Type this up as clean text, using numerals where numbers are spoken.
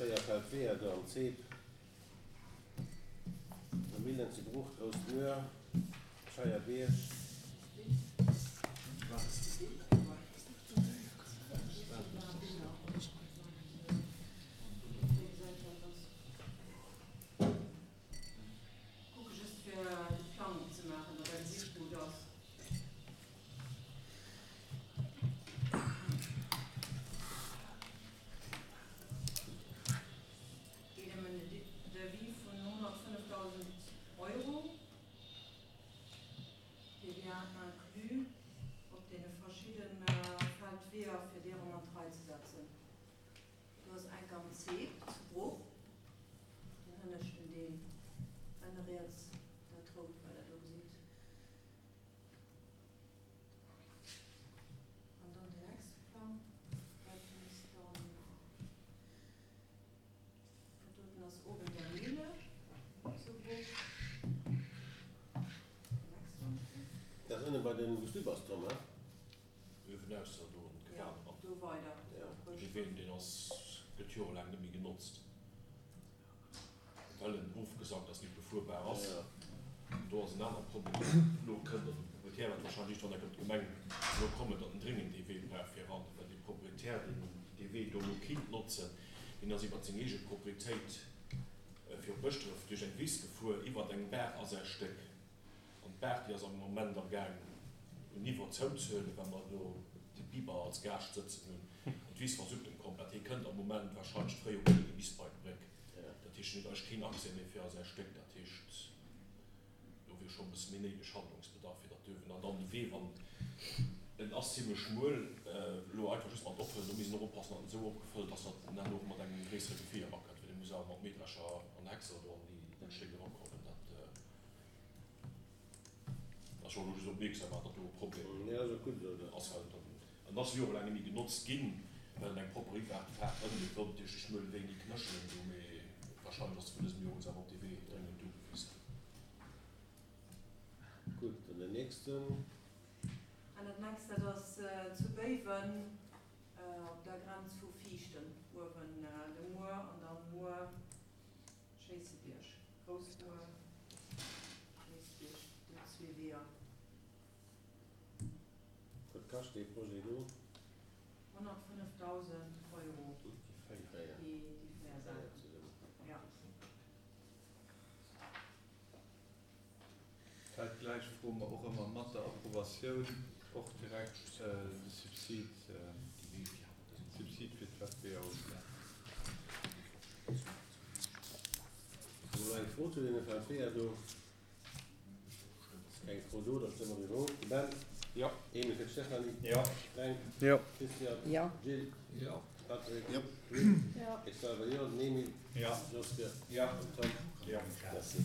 4 Feldweeër do am Zeep, der Millen zu Bruch, Grouss Muer, Scheierbierg. Kucke just fir de Plang opzemaachen, datt der gesitt wou et ass. Geet ëm en Devis vun 105.000 Euro, TVA inclus, op deene verschidde Feldweeër, fir déi erëm an d'Rei ze setzen. Do ass enk am Zeep zu Bruch, den hënneschten Deel, ënne riets dat rout wat der do gesitt. An dann den nächste Plang, dat misst dann, dat doten ass oben der Mille zu Bruch. Dat ass ënne bei den, wou s du bass, Tom, he? Uewenausser do an d'Gewan eran. Dee Ween, deen ass, gëtt jorelaang net méi genotzt, well en ofgesackt ass, net befuerbar ass. An do ass en anere Problem elo kënnt, an de Proprietär wäert wahrscheinlech iergendwann enk op d'Gemeng elo kommen, datt en dréngend dee Wee brauch fir eran, well dee Proprietär, deen dee Wee do elo kinnt notzen, deen ass iwwert seng eege Proprietéit fir op Bëschdref duerch eng Wiss gefuer, iwwert eng Baach a säi Stéck. An d'Baach, déi ass am Moment am Gaang un Niveau zouzehuelen, well mer do de Biber als Gaascht sëtzen hunn. An d'Wiss versuckt en komplett. Hie kënnt am Moment warscheinlech d'Fréijoer guer net méi bis bei d'Bréck. Dat heescht, en huet eigentlech keen Accès méi fir a säi Stéck. Dat heescht, do wier scho e bësse méi néideg Handlungsbedarf, fir datt duerfen. An dann de Wee, wann en ass zimlech schmuel, elo einfach just mat opfëllen, do misst een och oppassen, datt en esou opgefëllt ass, datt en herno och mat engem gréissere Gefier erakënnt, well e muss awer mat Mähdrescher an Häcksler do an déi dat Stéck erakommen. Dat. Ass jo elo just opmierksam maachen, datt do e Problem ass, well en ass jorelaang net méi genotzt ginn, well en eng propper Iwwerfaart ënne gëtt. Wollt duerch de schmuele Wee ni knéchelen do, mee warscheinlech ass vun dësem Joer un awer op dee Wee dréngend ugewisen. Gutt, dann den nächsten. An dat nächst, dat ass zu Béiwen op der Grenz vu Viichten, uewen de Muer an dann Muer. Schéissebierg, Groussbuer, Schéissebierg, déi zwee Weeër. Wat kascht dee Projet do? 105.000 Euro, déi véier Saachen, jo. Dat gläich froe mer och ëmmer mat der Approbatioun och direkt de Subsid, Subsid fir d'FBO. Hu mer eng Fro zu deene Feldweeër do? Ass keng Fro do, da stëmme mer driwwer of. De Ben? Jo. Emil fir d'Stéphanie? Jo. Fränk? Jo. Christian? Jo. Jill? Jo. Patrick? Jo. Luc? Jo. Ech selwer jo. Den Emil? Jo. Joske? Jo. Den Tom? Jo. Merci.